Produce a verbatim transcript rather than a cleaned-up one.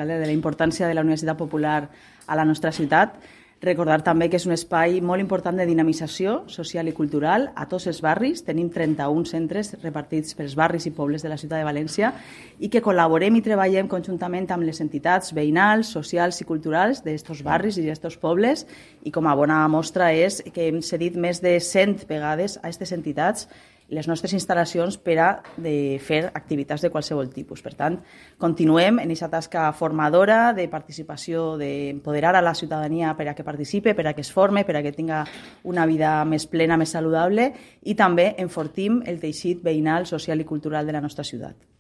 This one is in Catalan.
de la importància de la Universitat Popular a la nostra ciutat. Recordar també que és un espai molt important de dinamització social i cultural a tots els barris. Tenim trenta-un centres repartits pels barris i pobles de la ciutat de València i que col·laborem i treballem conjuntament amb les entitats veïnals, socials i culturals d'aquests barris i d'aquests pobles, i com a bona mostra és que hem cedit més de cent vegades a aquestes entitats les nostres instal·lacions per a de fer activitats de qualsevol tipus. Per tant, continuem en aquesta tasca formadora de participació, d'empoderar a la ciutadania per a que participe, per a que es forme, per a que tinga una vida més plena, més saludable, i també enfortim el teixit veïnal, social i cultural de la nostra ciutat.